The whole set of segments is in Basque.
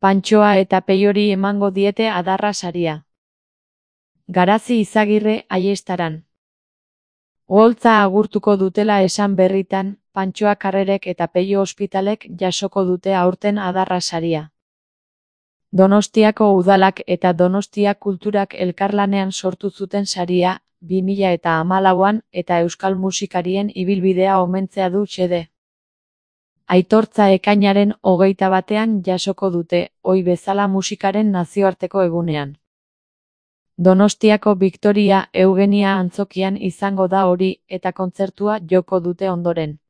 Pantxoa eta Peiori emango diete adarra saria. Garazi Izagirre Aiestaran. Oholtza agurtuko dutela esan berritan, Pantxoa Karrerek eta Peio Ospitalek jasoko dute aurten adarra saria. Donostiako udalak eta Donostia Kulturak elkarlanean sortu zuten saria, 2014an eta euskal musikarien ibilbidea omentzea du xede. Aitortza ekainaren 21ean jasoko dute, ohi bezala musikaren nazioarteko egunean. Donostiako Victoria Eugenia antzokian izango da hori, eta kontzertua joko dute ondoren.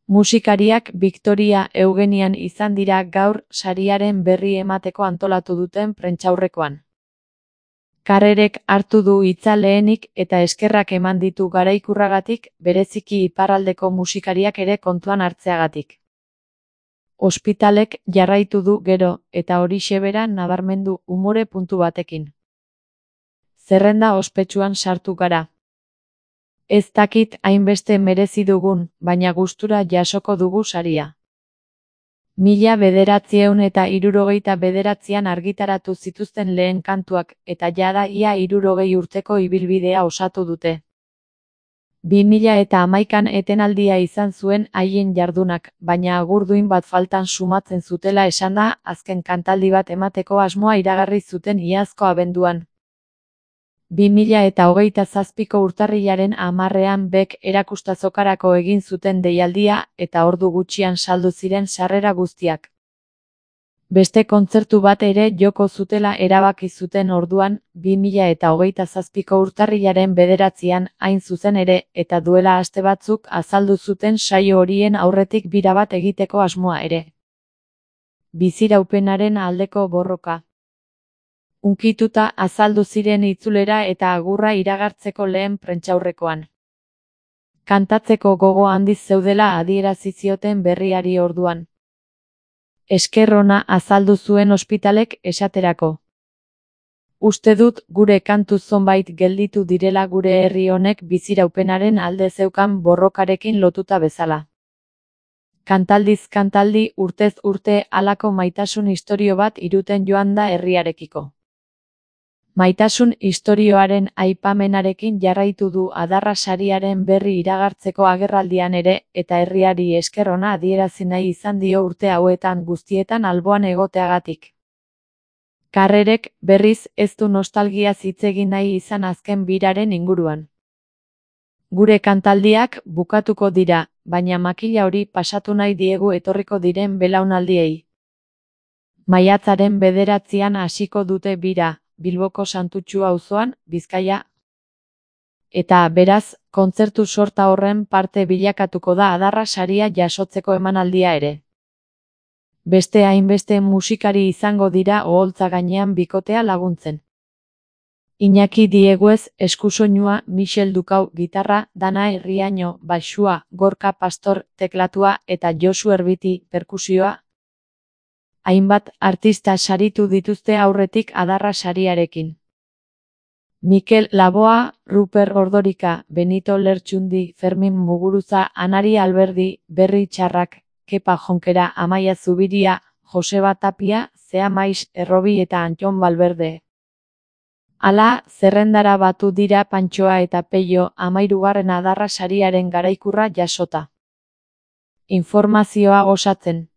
Musikariak Victoria Eugenian izan dira gaur sariaren berri emateko antolatu duten prentsaurrekoan. Karrerek hartu du hitza lehenik eta eskerrak eman ditu garaikurragatik, bereziki iparraldeko musikariak ere kontuan hartzeagatik. Ospitalek jarraitu du gero, eta horixe bera nabarmendu umore puntu batekin. Zerrenda ospetsuan sartu gara. Ez dakit hainbeste merezi dugun, baina gustura jasoko dugu saria. 1969an argitaratu zituzten lehen kantuak, eta jada ia 60 urteko ibilbidea osatu dute. 2011an etenaldia izan zuen haien jardunak, baina agurduin bat faltan sumatzen zutela esanda, azken kantaldi bat emateko asmoa iragarri zuten iazko abenduan. 2027ko urtarrilaren 10ean bek erakustazokarako egin zuten deialdia, eta ordu gutxian saldu ziren sarrera guztiak. Beste kontzertu bat ere joko zutela erabaki zuten orduan, 2027ko urtarrilaren 9ean hain zuzen ere, eta duela aste batzuk azaldu zuten saio horien aurretik bira bat egiteko asmoa ere. Biziraupenaren aldeko borroka. Hunkituta azaldu ziren itzulera eta agurra iragartzeko lehen prentsaurrekoan. Kantatzeko gogo handiz zeudela adierazi zioten berriari orduan. Esker ona azaldu zuen Ospitalek esaterako. Uste dut gure kantu zonbait gelditu direla gure herri honek biziraupenaren alde zeukan borrokarekin lotuta bezala. Kantaldiz kantaldi urtez urte halako maitasun istorio bat iruten joan da herriarekiko. Maitasun istorioaren aipamenarekin jarraitu du adarra sariaren berri iragartzeko agerraldian ere, eta herriari esker ona adierazi nahi izan dio urte hauetan guztietan alboan egoteagatik. Karrerek, berriz, ez du nostalgiaz hitz egin nahi izan azken biraren inguruan. Gure kantaldiak bukatuko dira, baina makila hori pasatu nahi diegu etorriko diren belaunaldiei. Maiatzaren 9ean hasiko dute bira, Bilboko Santutxu auzoan, Bizkaia. Eta, beraz, kontzertu sorta horren parte bilakatuko da adarra saria jasotzeko emanaldia ere. Beste hainbeste musikari izango dira oholtza gainean bikotea laguntzen. Iñaki Dieguez eskusoinua, Michel Dukau gitarra, Danae Riaño baxua, Gorka Pastor teklatua eta Josu Erbiti perkusioa. Hainbat artista saritu dituzte aurretik adarra sariarekin. Mikel Laboa, Ruper Ordorika, Benito Lertxundi, Fermin Muguruza, Anari Alberdi, Berri Txarrak, Kepa Jonkera, Amaia Zubiria, Joseba Tapia, Zea Maiz, Errobi eta Antxon Balberde. Hala, zerrendara batu dira Pantxoa eta Peio 13. adarra sariaren garaikurra jasota. Informazioa osatzen.